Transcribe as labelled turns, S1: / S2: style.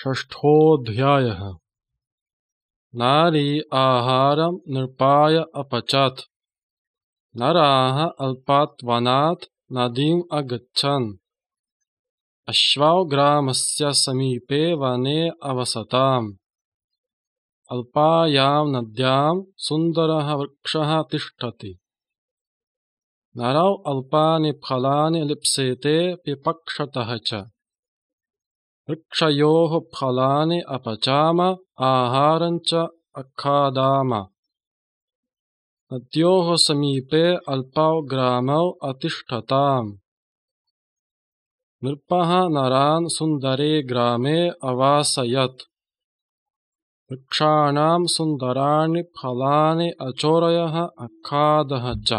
S1: षष्ठोऽध्यायः। नारी आहारं नृपाय अपचत्। नराः अल्पात्वनात् नदीम् अगच्छन्। अश्वौ ग्रामस्य समीपे वने अवसताम्। अल्पायां नद्यां सुन्दरः वृक्षः तिष्ठति। नरौ अल्पानि फलानि लिप्सेते पिपक्षतः च। वृक्षयोः फलानि अपचाम, आहारं च अखादाम। नद्योः समीपे अल्पौ ग्रामौ अतिष्ठताम्। नृपः नरान् सुन्दरे ग्रामे अवासयत्। वृक्षाणां सुन्दराणि फलानि अचोरयः अखादः च।